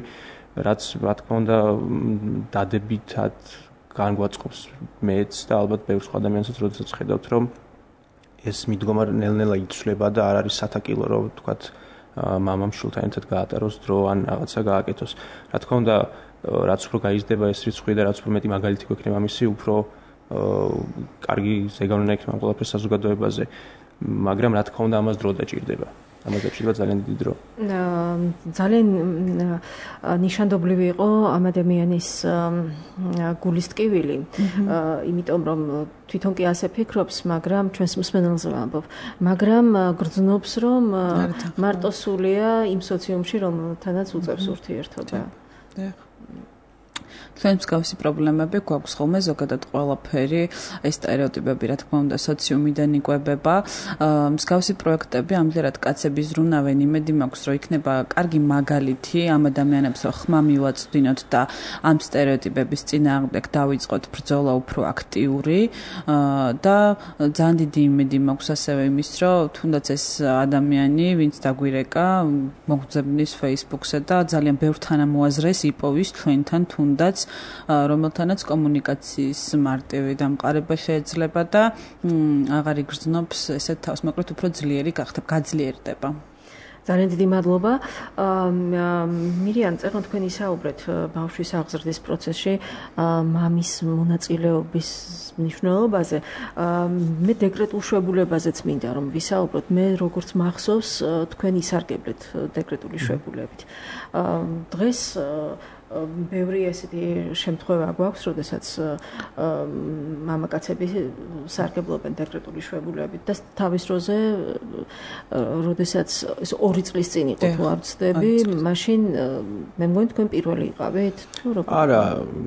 რაც რა თქმა უნდა დადებითად განგვაწყობს მეც და ალბათ ბევრ სხვა ადამიანსაც, როდესაც ხედავთ, რომ ეს მიდგომა ნელ-ნელა იცვლება და არ არის სათაკილო, რომ თქვათ მამამ შვილთან ერთად გაატაროს დრო ან რაღაცა გააკეთოს. რა თქმა უნდა, რაც უფრო გაიზრდება ეს რიცხვი და რაც უფრო მეტი მაგალითი გვექნება მისი, უფრო კარგი ზეგავლენა იქნება ყველაფერს საზოგადოებაზე, მაგრამ რა თქმა უნდა ამას დრო დაჭირდება. ამას დაჭირდება ძალიან დიდი დრო. ძალიან ნიშანდობლივი იყო ამ ადამიანის გულის ტკივილი, იმიტომ რომ თვითონ კი ასე ფიქრობს, მაგრამ ჩვენს მსმენელზე ვამბობ, მაგრამ გრძნობს რომ მარტო სულია იმ სოციუმში, რომელთანაც უწევს ურთიერთობა. ჩვენ მსგავსი პრობლემები გვაქვს ხოლმე ზოგადად ყველაფერი ეს სტერეოტიპები რა თქმა უნდა სოციუმიდან იკვებება მსგავსი პროექტები ამჯერად კაცების ზრუნავენ იმედი მაქვს რომ იქნება კარგი მაგალითი ამ ადამიანებს რომ ხმა მივაწვდინოთ და ამ სტერეოტიპების წინააღმდეგ დავიწყოთ ბრძოლა უფრო აქტიური და ძალიან დიდი იმედი მაქვს ასევე იმის რომ თუნდაც ეს ადამიანი ვინც დაგვირეკა მოგძებნის Facebook-ზე და ძალიან ბევრ თანამოაზრეს იპოვის ჩვენთან თუნდაც რომელთანაც კომუნიკაციის მარტივი დამყარება შეიძლება და აღარ იგრძნობს ესეთ თავს, მაგრამ უფრო ძლიერი გაძლიერდება. ძალიან დიდი მადლობა. მირიან, წერენ თქვენ ისაუბრეთ ბავშვის აღზრდის პროცესში მამის მონაწილეობის მნიშვნელობაზე. მე დეკრეტულ შვებულებაზეც მინდა რომ ვისაუბროთ. მე როგორც მახსოვს, თქვენ ისარგებლეთ დეკრეტული შვებულებით. დღეს ბევრი ესეთი შემთხვევა გვაქვს, როდესაც მამაკაცები სარგებლობენ დეკრეტული შვებულებით და თავის დროზე, როდესაც ეს 2 წლის წინ იყო თუ არ ვცდები, მაშინ მე მგონი თქვენ პირველი იყავით თუ როგორ? არა,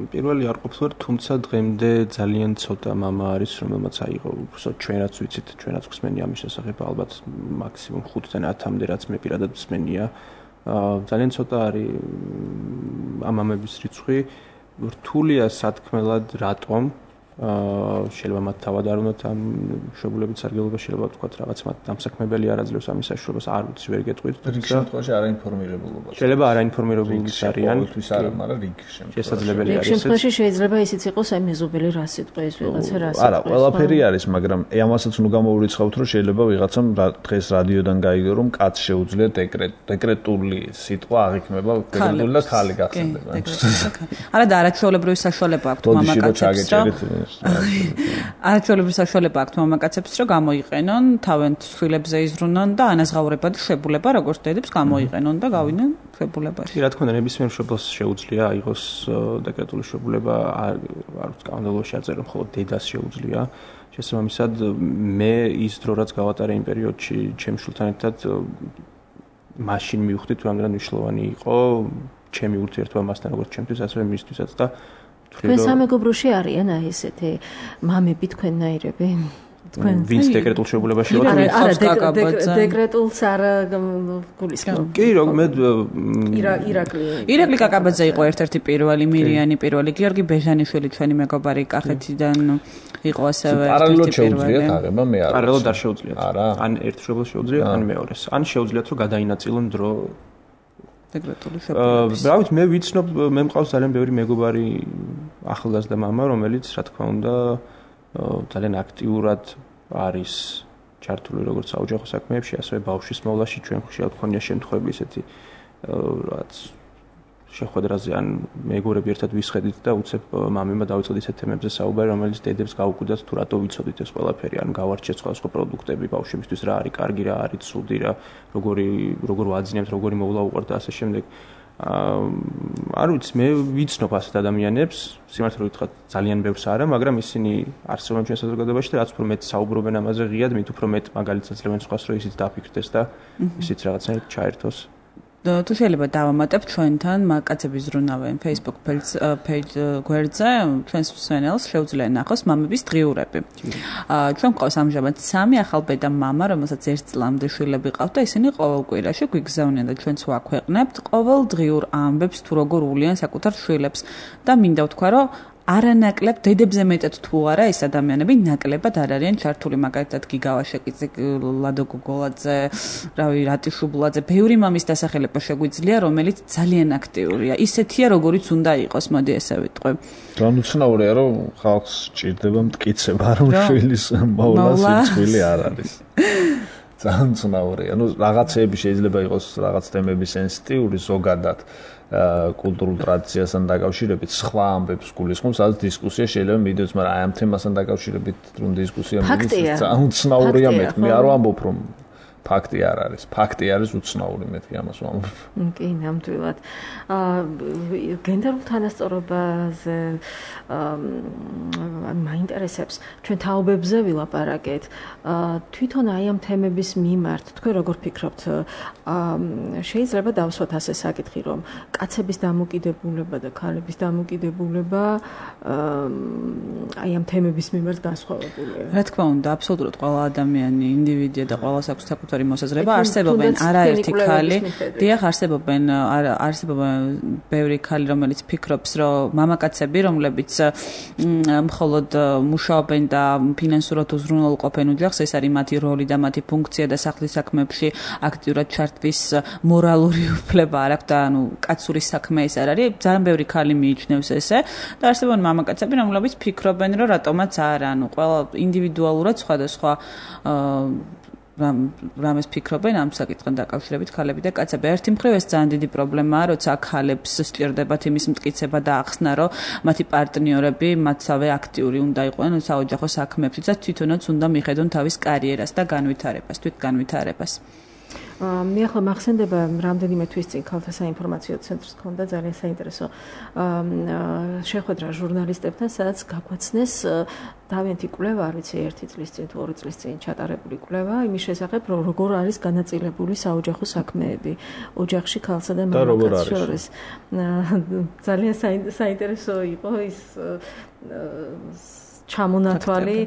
პირველი არ ყოფილვარ, თუმცა დღემდე ძალიან ცოტა მამა არის, რომელმაც აიღო, უბრალოდ ჩვენ რაც ვიცით, ჩვენ რაც გვსმენია ამის შესახებ, ალბათ მაქსიმუმ 5-დან 10-მდე რაც მე პირადად მსმენია. ძალიან ცოტა არის ამ ამების რიცხვი რთულია სათქმელად რატომ შეიძლება მათ თავად არ უნდათ ამ შვებულებით სარგებლობა შეიძლება ვთქვათ რაღაც მათ დამსაქმებელი არ აძლევს ამის საშუალებას არ ვიცი ვერ გეტყვით რიგ შემთხვევაში არაინფორმირებულობა შეიძლება არაინფორმირებული არიან ყოველთვის არა მაგრამ რიგ შემთხვევაში შესაძლებელი არის შემთხვევაში შეიძლება ისიც იყოს აი მეზობელი რა სიტყვა ის ვიღაცა რა სიტყვა არა ყველაფერი არის მაგრამ ამასაც ნუ გამოურიცხავთ რომ შეიძლება ვიღაცამ დღეს რადიოდან გაიგო რომ კაც შეუძლია დეკრეტული სიტყვა აღიქმება დეკრეტული და ხალი გახსენდება არა და არაჩვეულებრივი საშუალება აქვს მამაკაცებს არაჩვეულებრივი საშუალება აქვს მამაკაცებს რომ გამოიყენონ თავენთ შვილებზე იზრუნონ და ანაზღაურებადი შვებულება როგორც დედებს გამოიყენონ და გავინონ შვებულებაში. რა თქმა უნდა ნებისმიერ მშობელს შეუძლია აიღოს დეკრეტული შვებულება არ სკანდალოში აწერო მხოლოდ დედას შეუძლია. შესაბამისად მე ის დრო რაც გავატარე იმ პერიოდში ჩემ შვილთან ერთად მაშინ მივხვდი თუ რამდენად მნიშვნელოვანი იყო ჩემი ურთიერთობა მასთან როგორც ჩემთვის ასევე მისთვისაც და თქვენ სამეგობროში არიან აი ესეთი მამები თქვენნაირები? თქვენ ვინც დეკრეტულ შვებულებაში ვარ? არა, დეკრეტულს არ გულისხმობ. კი, რომ მე ირაკლი კაკაბაძე იყო ერთ-ერთი პირველი, მირიანი პირველი, გიორგი ბეჟანიშვილი ჩვენი მეგობარი კახეთიდან იყო ასევე პარალელურად შეუძლიათ აღება მე არა. პარალელურად არ შეუძლიათ. ან ერთ შვილს შეუძლიათ, ან მეორეს. ან შეუძლიათ რომ გადაინაწილონ დრო დეკრეტული შვებულების. ბრავით, მე ვიცნობ, მე მყავს ძალიან ბევრი მეგობარი ახალგაზრდა მამა, რომელიც რა თქმა უნდა ძალიან აქტიურად არის ჩართული როგორც საოჯახო საქმეებში, ასევე ბავშვის მოვლაში ჩვენ ხშირად გვქონია შემთხვევები ისეთი რაც შეხვედრაზე ან მეგობრები ერთად ვისხედით და უცებ მამებმა დავიწყოთ ისეთ თემებზე საუბარი, რომელიც დედებს გაუკვირდათ თუ რატო ვიცოდით ეს ყველაფერი, ან გავარჩიეთ სხვადასხვა პროდუქტები ბავშვებისთვის, რა არის კარგი, რა არის ცუდი, რა როგორ ვაძინებთ, როგორი მოვლა უყართ და ასე შემდეგ. არ ვიცი, მე ვიცნობ ასეთ ადამიანებს, სიმართლე ვიტყვათ, ძალიან ბევრს არა, მაგრამ ისინი არსებობენ ჩვენ საზოგადოებაში და რაც უფრო მეტ საუბრობენ ამაზე ღიად, მით უფრო მეტ მაგალითს აძლევენ სხვას, რომ ისიც დაფიქრდეს და ისიც რაღაცნაირად ჩაერთოს. თუ შეიძლება დავამატებ ჩვენთან მაკაცების ზრუნავენ Facebook page გვერდზე ჩვენს მსმენელს შეუძლია ნახოს მამების დღიურები. ჩვენ გვყავს ამჟამად 3 ახალბედა მამა, რომელსაც 1 წლამდე შვილები ყავთ და ისინი ყოველ კვირაში გვიგზავნიან და ჩვენც ვაქვეყნებთ ყოველ დღიურ ამბებს თუ როგორ უვლიან საკუთარ შვილებს და მინდა ვთქვა, რომ არანაკლებ დედებზე მეტად თუ არა ეს ადამიანები ნაკლებად არ არიან ჩართული, მაგალითად გიგავა შეკიძე, ლადო გოგოლაძე, რავი, რატი შუბლაძე, ბევრი მამის დასახელება შეგვიძლია, რომელიც ძალიან აქტიურია. ისეთია, როგორიც უნდა იყოს, მოდი ესე ვიტყვი. განუცნაურია, რომ ხალხს სჭირდება მტკიცება, რომ შვილის მოვლა სიძვილი არ არის. ძალიან ცნაურია. რაღაცეები შეიძლება იყოს რაღაც თემები სენსიტიური ზოგადად. კულტურულ ტრადიციასთან დაკავშირებით სხვა ამბებს გულისხმობს, სადაც დისკუსია შეიძლება მიდიოს, მაგრამ აი ამ თემასთან დაკავშირებით რომ დისკუსია მიდიოს, ძალიან უცნაურია მე არ ვამბობ რომ ფაქტი არ არის. ფაქტი არის უცნაური, მეთქი ამას ვამბობ. კი, ნამდვილად. გენდერულ თანასწორობაზე მაინტერესებს ჩვენ თაობებზე ვილაპარაკეთ. თვითონ აი ამ თემების მიმართ თქვენ როგორ ფიქრობთ? შეიძლება დავსვათ ასე საკითხი, რომ კაცების დამოკიდებულება და ქალების დამოკიდებულება აი ამ თემების მიმართ განსხვავებულია. რა თქმა უნდა, აბსოლუტურად ყველა ადამიანი ინდივიდია და ყველას აქვს საკუთარი მოსაზრება. არსებობენ არაერთი ქალი, დიახ, არსებობენ ბევრი ქალი, რომელიც ფიქრობს, რომ მამაკაცები, რომლებიც მხოლოდ მუშაობენ და ფინანსურად უზრუნველყოფენ ოჯახს, ეს არის მათი როლი და მათი ფუნქცია და სახლის საქმეებში აქტიურად ჩართვის მორალური უფლება არ აქვს და ანუ კაცური საქმე ეს არ არის. ძალიან ბევრი ქალი მიიჩნევს ესე და არსებობენ მამაკაცები, რომლებიც ფიქრობენ, რომ რატომაც არა, ანუ ყველა ინდივიდუალურად სხვადასხვა რამეს ფიქრობენ ამ საკითხთან დაკავშირებით ქალები და კაცები. ერთი მხრივ ეს ძალიან დიდი პრობლემაა, როცა ქალებს სჭირდებათ იმის მტკიცება და ახსნა, რომ მათი პარტნიორები მათსავე აქტიური უნდა იყვნენ საოჯახო საქმეებში და თვითონაც უნდა მიხედონ თავის კარიერას და განვითარებას, თვითგანვითარებას. მე ახლა მახსენდება რამდენიმე თვის წინ ქალთა საინფორმაციო ცენტრს ჰქონდა ძალიან საინტერესო შეხვედრა ჟურნალისტებთან, სადაც გაგვაცნეს დავენთი კვლევა, არ ვიცი 1 წლის წინ თუ 2 წლის წინ ჩატარებული კვლევა იმის შესახებ, რომ როგორ არის განაწილებული საოჯახო საქმეები ოჯახში ქალსა და მამაკაცს შორის. ძალიან საინტერესო იყო ის ჩამონათვალი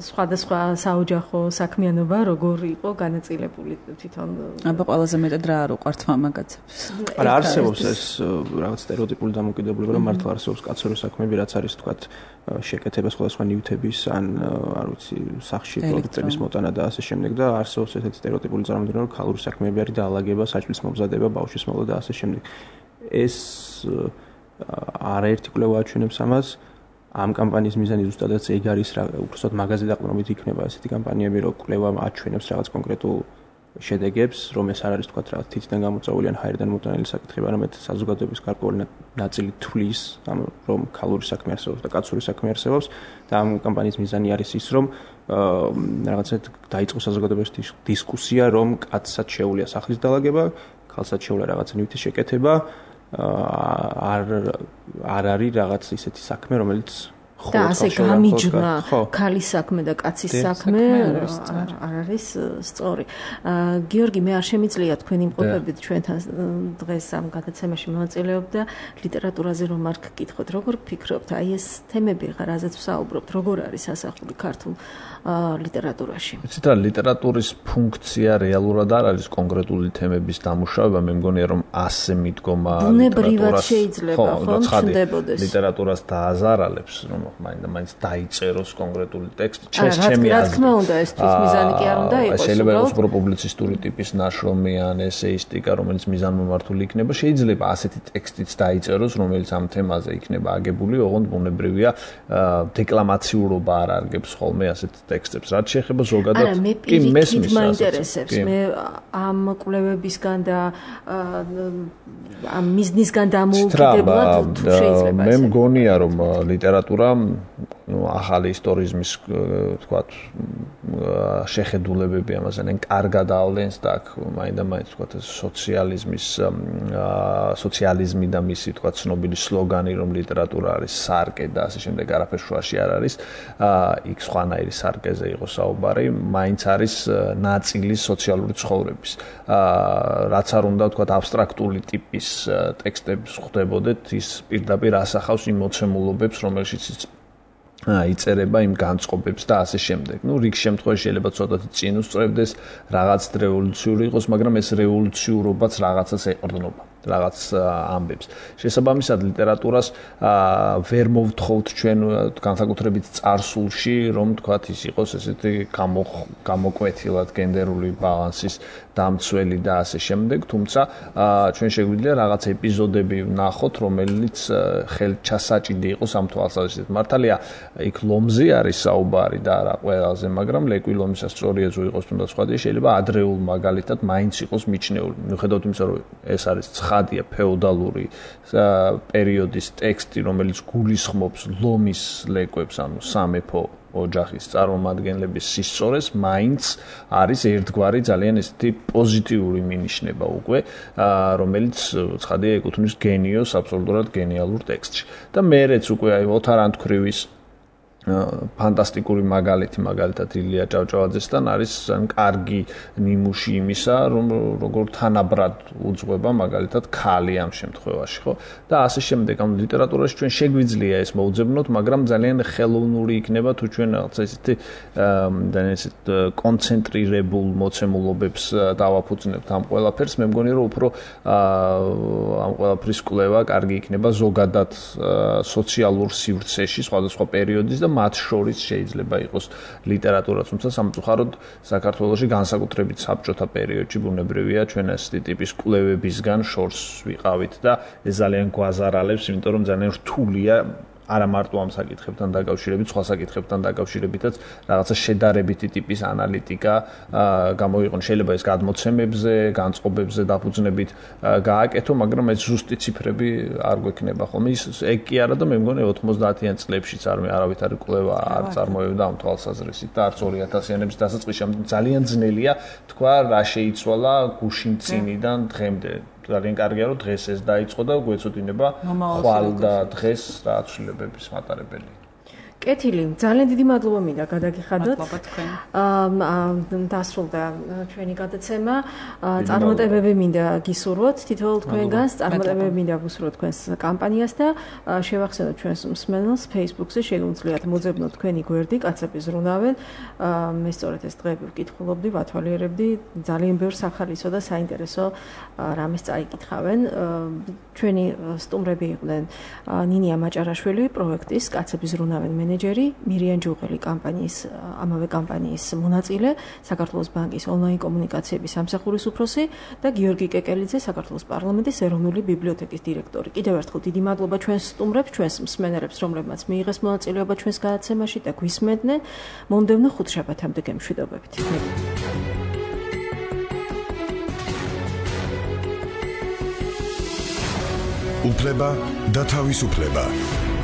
სხვადასხვა საოჯახო საქმიანობა როგორ იყო განაწილებული თვითონ. აბა ყველაზე მეტად რა არ უყვართ მამაკაცებს. არა არსებობს ეს რაღაც სტერეოტიპული დამოკიდებულება, რომ მართლა არსებობს კაცური საქმეები, რაც არის თქვათ შეკეთება სხვადასხვა ნივთების ან არ ვიცი სახში პროდუქტების მოტანა და ასე შემდეგ და არსებობს ესეთი სტერეოტიპული წარმოდგენა, რომ ქალური საქმეები არის დაალაგება, საჭმლის მომზადება, ბავშვის მოვლა და ასე შემდეგ. ეს არაერთი კვლევა აჩვენებს ამას. ამ კამპანიის მიზანი ზუსტადაც ეგ არის, რა უბრალოდ მაღაზი დაყრდნობით იქნება ესეთი კამპანიები, რომ კვლევა აჩვენებს რაღაც კონკრეტულ შედეგებს, რომ ეს არ არის თქვათ რაღაც თითიდან გამოწვეული ან ჰაერიდან მოტანილი საკითხი, არამედ საზოგადოების გარკვეული ნაწილი თვლის, რომ ქალური საქმე არსებობს და კაცური საქმე არსებობს და ამ კამპანიის მიზანი არის ის, რომ რაღაცა დაიწყოს საზოგადოების დისკუსია, რომ კაცსაც შეუძლია სახლის დაალაგება, ქალსაც შეუძლია რაღაცა ნივთის შეკეთება. არ არის რაღაც ისეთი საქმე, რომელიც და ასე გამიჯნა ქალის საქმე და კაცის საქმე არ არის სწორი. გიორგი, მე არ შემიძლია თქვენ იმყოფებით ჩვენთან დღეს ამ გადაცემაში მონაწილეობ და ლიტერატურაზე რომ არ გკითხოთ, როგორ ფიქრობთ, აი ეს თემები რაზეც ვსაუბრობთ, როგორ არის ასახული ქართულ ლიტერატურაში? ვიცით რა, ლიტერატურის ფუნქცია რეალურად არ არის კონკრეტული თემების დამუშავება, მე მგონია რომ ასე მიდგომა ბუნებრივად შეიძლება ხომ ჩნდებოდეს. ლიტერატურას დააზარალებს, რომ მაინც დაიწეროს კონკრეტული ტექსტი. ჩემი რა თქმა უნდა, ეს თვით მიზანი კი არ უნდა იყოს. შეიძლება იყოს უფრო პუბლიცისტური ტიპის ნაშრომი ან ესეისტიკა, რომელიც მიზანმიმართული იქნება. შეიძლება ასეთი ტექსტიც დაიწეროს, რომელიც ამ თემაზე იქნება აგებული, ოღონდ ბუნებრივია დეკლამაციურობა არ არგებს ხოლმე ასეთ ტექსტებს. რაც შეეხება ზოგადად კი მესმის მაინტერესებს. მე ამ კვლევებისგან და ამ მიზნისგან დამოუკიდებლად თუ შეიძლება მე მგონია რომ ლიტერატურა ახალი ისტორიზმის თქვათ შეხედულებები ამაზე ან კარგად ავლენს და აქ მაინდა-მაინც თქვათ სოციალიზმი და მისი თქვათ ცნობილი სლოგანი რომ ლიტერატურა არის სარკე და ასე შემდეგ არაფერ შუაში არ არის იქ სხვანაირი სარკეზე იყო საუბარი მაინც არის ნაწილი სოციალური ცხოვრების რაც არ უნდა თქვათ აბსტრაქტული ტიპის ტექსტებს ხვდებოდეთ ის პირდაპირ ასახავს იმ მოცემულობებს რომელშიც იწერება იმ განწყობებს და ასე შემდეგ. ნუ რიგ შემთხვევაში შეიძლება ცოტათი წინ უსწრებდეს, რაღაც რევოლუციური იყოს, მაგრამ ეს რევოლუციურობაც რაღაცას ეყრდნობა, რაღაც ამბებს. შესაბამისად ლიტერატურას ვერ მოვთხოვთ ჩვენ განსაკუთრებით წარსულში, რომ თქვათ ის იყოს ესეთი გამოკვეთილად გენდერული ბალანსის დამცველი და ასე შემდეგ, თუმცა ჩვენ შეგვიძლია რაღაც ეპიზოდები ვნახოთ, რომელიც ხელჩასაჭიდი იყოს ამ თვალსაზრისით. მართალია იქ ლომზე არის საუბარი და არა ყველაზე, მაგრამ ლეკვი ლომისას სწორია თუ იყოს თუნდაც სხვა შეიძლება ადრეულ მაგალითად მაინც იყოს მიჩნეული. მიუხედავად იმისა, რომ ეს არის ცხადია ფეოდალური პერიოდის ტექსტი, რომელიც გულისხმობს ლომის ლეკვებს, ანუ სამეფო ოჯახის წარმომადგენლების სისწორეს, მაინც არის ერთგვარი ძალიან ესეთი პოზიტიური მინიშნება უკვე, რომელიც ცხადია ეკუთვნის გენიოს აბსოლუტურად გენიალურ ტექსტში. და მეერეც უკვე აი ოთარ ანთქვრივის ფანტასტიკური მაგალითი მაგალითად ილია ჭავჭავაძესთან არის კარგი ნიმუში იმისა რომ როგორ თანაბრად უძღვება მაგალითად ქალი ამ შემთხვევაში ხო და ასე შემდეგ ამ ლიტერატურაში ჩვენ შეგვიძლია ეს მოუძებნოთ მაგრამ ძალიან ხელოვნური იქნება თუ ჩვენ რაღაცა ესეთი კონცენტრირებულ მოცემულობებს დავაფუძნებთ ამ ყველაფერს მე მგონი რომ უფრო ამ ყველაფრის კვლევა კარგი იქნება ზოგადად სოციალურ სივრცეში სხვადასხვა პერიოდის და მათ შორის შეიძლება იყოს ლიტერატურა, თუმცა სამწუხაროდ საქართველოში განსაკუთრებით საბჭოთა პერიოდში ბუნებრივია ჩვენ ასეთი ტიპის კვლევებისგან შორს ვიყავით და ეს ძალიან გვაზარალებს, იმიტომ რომ ძალიან რთულია არა მარტო ამ საკითხებთან დაკავშირებით, სხვა საკითხებთან დაკავშირებითაც რაღაცა შედარებითი ტიპის ანალიტიკა გამოიყენოს. შეიძლება ეს გადმოცემებზე, განწყობებზე დაფუძნებით გააკეთო, მაგრამ ეს ზუსტი ციფრები არ გვექნება ხოლმე. ეგ კი არა და მე მგონი 90-იან წლებშიც არავითარი კვლევა არ წარმოევდა ამ თვალსაზრისით და არც 2000-იანების დასაწყისში ძალიან ძნელია თქვა რა შეიცვალა გუშინ წინიდან დღემდე. ძალიან კარგია რომ დღეს ეს დაიწყო და გვეცოდინება ხვალ და დღეს რა ცვლილებების მატარებელი. კეთილი, ძალიან დიდი მადლობა მინდა გადაგიხადოთ. დასრულდა ჩვენი გადაცემა. წარმატებები მინდა გისურვოთ თითოეულ თქვენგანს, წარმატებები მინდა გისურვოთ თქვენს კამპანიას და შევახსენოთ ჩვენს მსმენელს Facebook-ზე შეგვიძლიათ მოძებნოთ თქვენი გვერდი, კაცები ზრუნავენ. მე სწორედ ეს დღეები ვკითხულობდი, ვათვალიერებდი, ძალიან ბევრ სახალისო და საინტერესო რამეს წაიკითხავენ. ჩვენი სტუმრები იყვნენ ნინია მაჭარაშვილი, პროექტის კაცები ზრუნავენ მენეჯერი, მირიან ჯუღელი კამპანიის ამავე კამპანიის მონაწილე, საქართველოს ბანკის ონლაინ კომუნიკაციების სამსახურის უფროსი და გიორგი კეკელიძე, საქართველოს პარლამენტის ეროვნული ბიბლიოთეკის დირექტორი. კიდევ ერთხელ დიდი მადლობა ჩვენს სტუმრებს, ჩვენს მსმენელებს, რომლებმაც მიიღეს მონაწილეობა ჩვენს გადაცემაში და გვისმენდნენ. მომდევნო ხუთშაბათამდე გემშვიდობებით. უფლება და თავისუფლება.